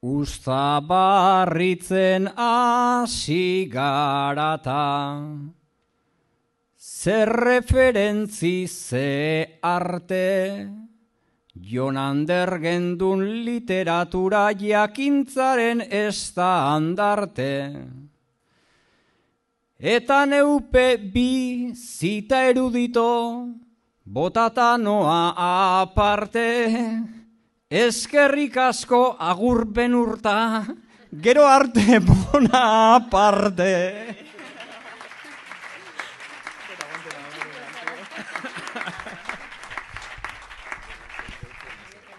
Usta barritzen hasi garata, zer referentzi ze arte, Jon Ander gendun literatura jakintzaren estandarte. Eta neupe bi zita erudito, botata noa aparte, eskerrik asko agurpen urta, gero arte bona aparte.